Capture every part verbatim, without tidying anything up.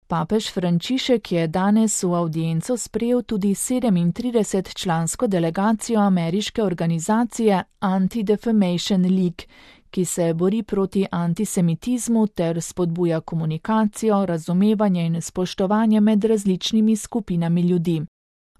Papež Frančišek je danes v avdienco sprejel tudi sedemintridesetčlansko delegacijo ameriške organizacije Anti-Defamation League, ki se bori proti antisemitizmu ter spodbuja komunikacijo, razumevanje in spoštovanje med različnimi skupinami ljudi.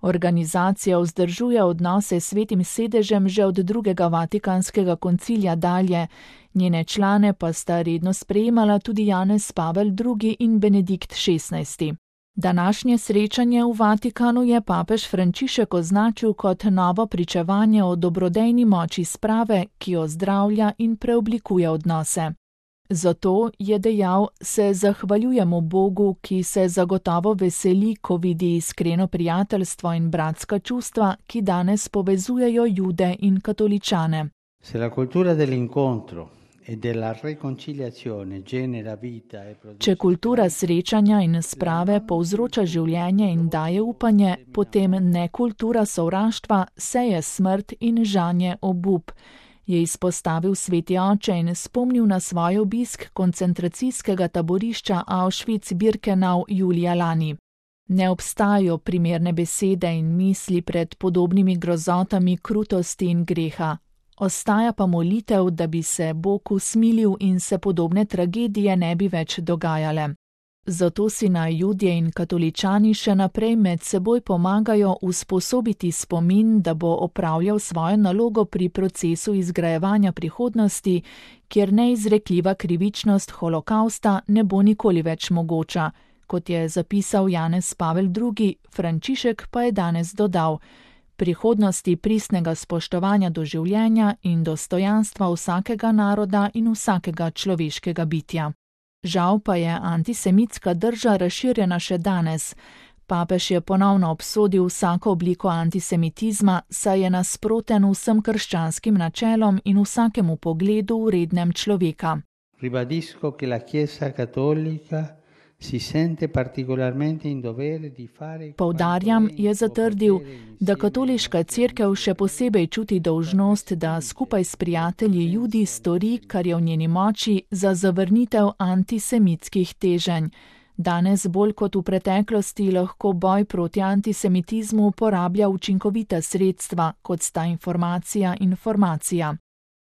Organizacija vzdržuje odnose s Svetim sedežem že od drugega Vatikanskega koncilija dalje, njene člane pa sta redno sprejemala tudi Janez Pavel drugi in Benedikt šestnajsti. Današnje srečanje v Vatikanu je papež Frančišek označil kot novo pričevanje o dobrodejni moči sprave, ki ozdravlja in preoblikuje odnose. Zato, je dejal, se zahvaljujemo Bogu, ki se zagotovo veseli, ko vidi iskreno prijateljstvo in bratska čustva, ki danes povezujejo Jude in katoličane. Se la cultura dell'incontro e della riconciliazione genera vita e produce... Če kultura srečanja in sprave povzroča življenje in daje upanje, potem ne kultura sovraštva seje smrt in žanje obup, je izpostavil sveti oče in spomnil na svoj obisk koncentracijskega taborišča Auschwitz-Birkenau julija lani. Ne obstajajo primerne besede in misli pred podobnimi grozotami krutosti in greha. Ostaja pa molitev, da bi se Bog usmilil in se podobne tragedije ne bi več dogajale. Zato si naj Judje in katoličani še naprej med seboj pomagajo usposobiti spomin, da bo opravljal svojo nalogo pri procesu izgrajevanja prihodnosti, kjer neizrekljiva krivičnost holokausta ne bo nikoli več mogoča, kot je zapisal Janez Pavel drugi, Frančišek pa je danes dodal: prihodnosti pristnega spoštovanja do življenja in dostojanstva vsakega naroda in vsakega človeškega bitja. Žal pa je antisemitska drža razširjena še danes. Papež je ponovno obsodil vsako obliko antisemitizma, saj je nasproten vsem krščanskim načelom in vsakemu pogledu vrednem človeka. Ribadisco che la Chiesa cattolica si sente particolarmente in dovere di fare... Poudarjam, je zatrdil, da katoliška cerkev še posebej čuti dolžnost, da skupaj s prijatelji Judi stori, kar je v njeni moči, za zavrnitev antisemitskih teženj. Danes bolj kot v preteklosti lahko boj proti antisemitizmu uporablja učinkovita sredstva, kot sta informacija in formacija.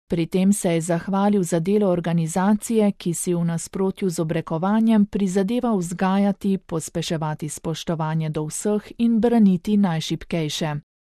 Pri tem se je zahvalil za delo organizacije, ki si v nasprotju z obrekovanjem prizadeva vzgajati, pospeševati spoštovanje do vseh in braniti najšibkejše.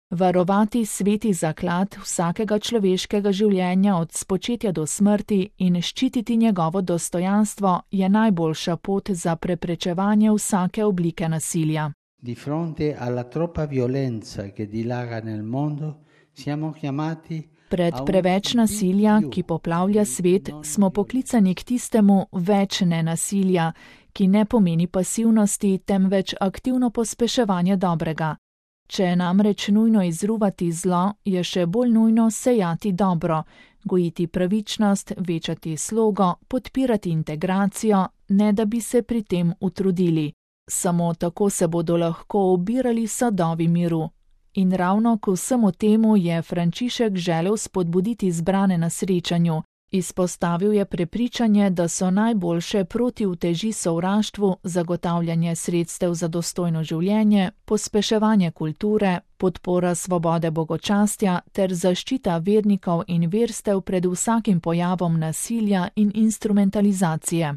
Varovati sveti zaklad vsakega človeškega življenja od spočetja do smrti in ščititi njegovo dostojanstvo je najboljša pot za preprečevanje vsake oblike nasilja. Di fronte alla troppa violenza che dilaga nel mondo, siamo chiamati Pred preveč nasilja, ki poplavlja svet, smo poklicani k tistemu več nenasilja, ki ne pomeni pasivnosti, temveč aktivno pospeševanje dobrega. Če je namreč nujno izruvati zlo, je še bolj nujno sejati dobro, gojiti pravičnost, večati slogo, podpirati integracijo, ne da bi se pri tem utrudili. Samo tako se bodo lahko obirali sadovi miru. In ravno k vsemu temu je Frančišek želel spodbuditi zbrane na srečanju. Izpostavil je prepričanje, da so najboljše proti uteži sovraštvu zagotavljanje sredstev za dostojno življenje, pospeševanje kulture, podpora svobode bogočastja ter zaščita vernikov in verstev pred vsakim pojavom nasilja in instrumentalizacije.